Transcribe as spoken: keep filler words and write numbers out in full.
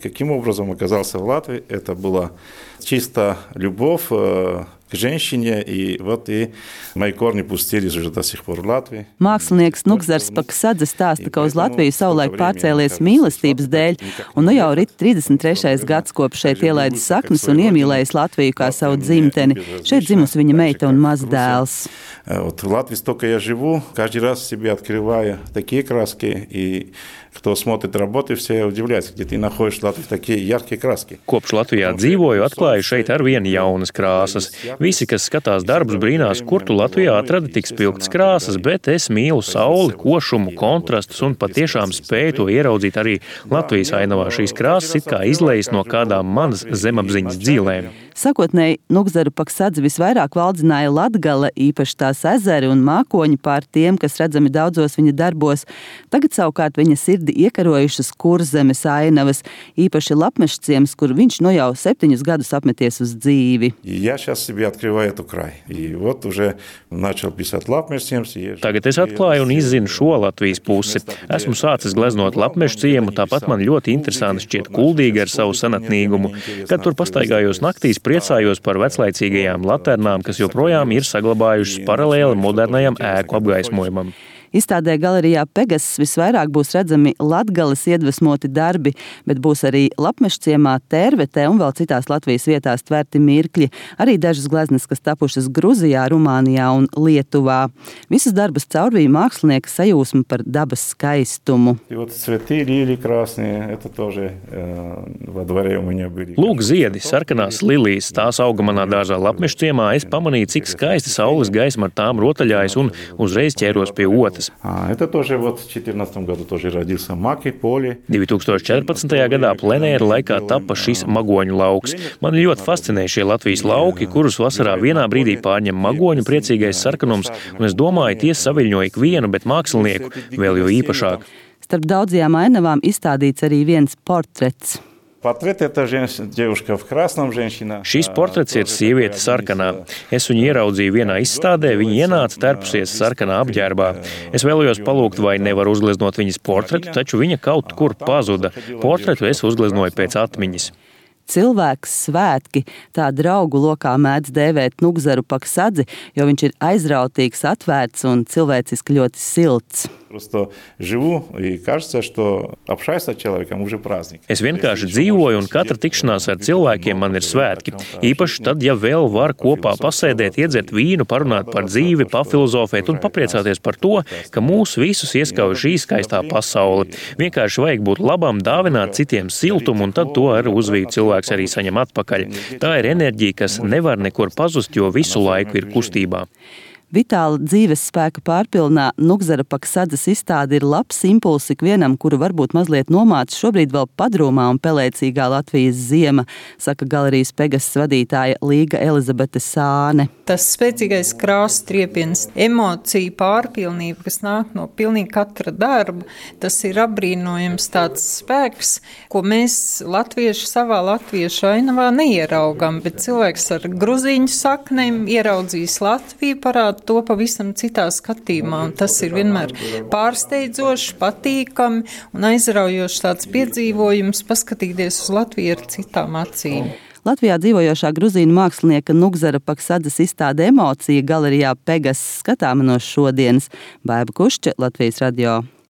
Каким образом оказался в Латвии? Это была чисто любовь к женщине, и вот и мои корни пустились уже до сих пор в Латвии. Mākslinieks Nugzars Paksadze stāsta, ka uz Latviju savulaik pārcēlies mīlestības dēļ, un nu jau rit trīsdesmit trešais gads, kopš šeit ielaidis saknes un iemīlējis Latviju kā savu dzimteni. Šeit dzimusi viņa meita un mazs dēls. Вот в Латвии столько я живу, каждый раз себе открываю такие краски, и кто смотрит работы, все удивляются, где ты находишь в Латвии такие яркие краски. Kopš Latvijā dzīvoju, atklāju šeit ar vienu jaunas krāsas. Visi, kas skatās darbus, brīnās, kur tu Latvijā atradi tik spilgtas krāsas, bet es mīlu sauli, košumu, kontrastus un patiešām spēju to ieraudzīt arī Latvijas ainavā. Šīs krāsas it kā izlejas no kādām manas zemapziņas dzīlēm. Sakotnēji Nugzaru Paksadzi visvairāk valdzināja Latgale, īpaši tās ezeri un mākoņi pār tiem, kas redzami daudzos viņa darbos. Tagad savukārt viņa sirdi iekarojušas Kurzemes ainavas, īpaši Lapmešciems, kur viņš no jau septiņus gadus apmeties uz dzīvi. Tagad es atklāju un izzinu šo Latvijas pusi. Esmu sācis gleznot Lapmešciemu, tāpat man ļoti interesanti šķiet Kuldīga ar savu senatnīgumu. Kad tur pastaigājos naktīs, priecājos par veclaicīgajām laternām, kas joprojām ir saglabājušas paralēli modernajam ēku apgaismojumam. Izstādē galerijā Pegasus visvairāk būs redzami Latgales iedvesmoti darbi, bet būs arī Lapmešciemā, Tērvetē un vēl citās Latvijas vietās tverti mirkļi, arī dažas gleznes, kas tapušas Gruzijā, Rumānijā un Lietuvā. Visus darbus caurvīja mākslinieka sajūsma par dabas skaistumu. Lūk, ziedi, sarkanās lilijas, tās auga manā dārzā Lapmešciemā. Es pamanīju, cik skaisti saules gaisma ar tām rotaļājas un uzreiz ķēros pie otras. Это тоже вот в две тысячи четырнадцатом году тоже родился маки, поле. divi tūkstoši četrpadsmitajā gadā plenēra laikā tapa šis magoņu lauks. Man ļoti fascinē šie Latvijas lauki, kurus vasarā vienā brīdī pārņem magoņu priecīgais sarkanums, un es domāju, tie saviļņo ikvienu, bet mākslinieku vēl jo īpašāk. Starp daudzajām ainavām izstādīts arī viens portrets. Portrets это девушка в красном, женщина. Šis portrets ir sieviete sarkanā. Es viņu ieraudzīju vienā izstādē, viņa ienāca terpusies sarkanā apģērbā. Es vēlējos palūgt, vai nevar uzgleznot viņas portretu, taču viņa kaut kur pazuda. Portretu es uzgleznoju pēc atmiņas. Cilvēks svētki, tā draugu lokā mēdz dēvēt Nugzaru Paksadzi, jo viņš ir aizrautīgs, atvērts un cilvēciski ļoti silts. Просто живу, и кажется, что общаюсь с человеком уже праздник. Es vienkārši dzīvoju, un katra tikšanās ar cilvēkiem man ir svētki. Īpaši tad, ja vēl var kopā pasēdēt, iedzert vīnu, parunāt par dzīvi, pafilozofēt un papriecāties par to, ka mūs visus ieskauj šī skaistā pasaule. Vienkārši vajag būt labam, dāvināt citiem siltumu, un tad to ar uzvīdu cilvēks arī saņem atpakaļ. Tā ir enerģija, kas nevar nekur pazust, jo visu laiku ir kustībā. Vitāla dzīves spēka pārpilnā Nugzara Paksadzes izstāde ir labs impulss ikvienam, kuru varbūt mazliet nomāca šobrīd vēl padrūmā un pelēcīgā Latvijas ziema, saka galerijas Pegasus vadītāja Līga Elizabete Sāne. Tas spēcīgais krāsu triepiens, emocija pārpilnība, kas nāk no pilnīgi katra darba, tas ir apbrīnojams tāds spēks, ko mēs latvieši savā latviešu ainavā neieraugam, bet cilvēks ar gruzīņu saknēm ieraudzīs Latviju, parāda to pavisam citā skatījumā, un tas ir vienmēr pārsteidzoši, patīkami un aizraujoši tāds piedzīvojums paskatīties uz Latviju ar citām acīm. Latvijā dzīvojošā gruzīnu mākslinieka Nugzara Paksadzes izstāde Emocija galerijā Pegasus skatāma no šodienas. Baiba Kušča, Latvijas radio.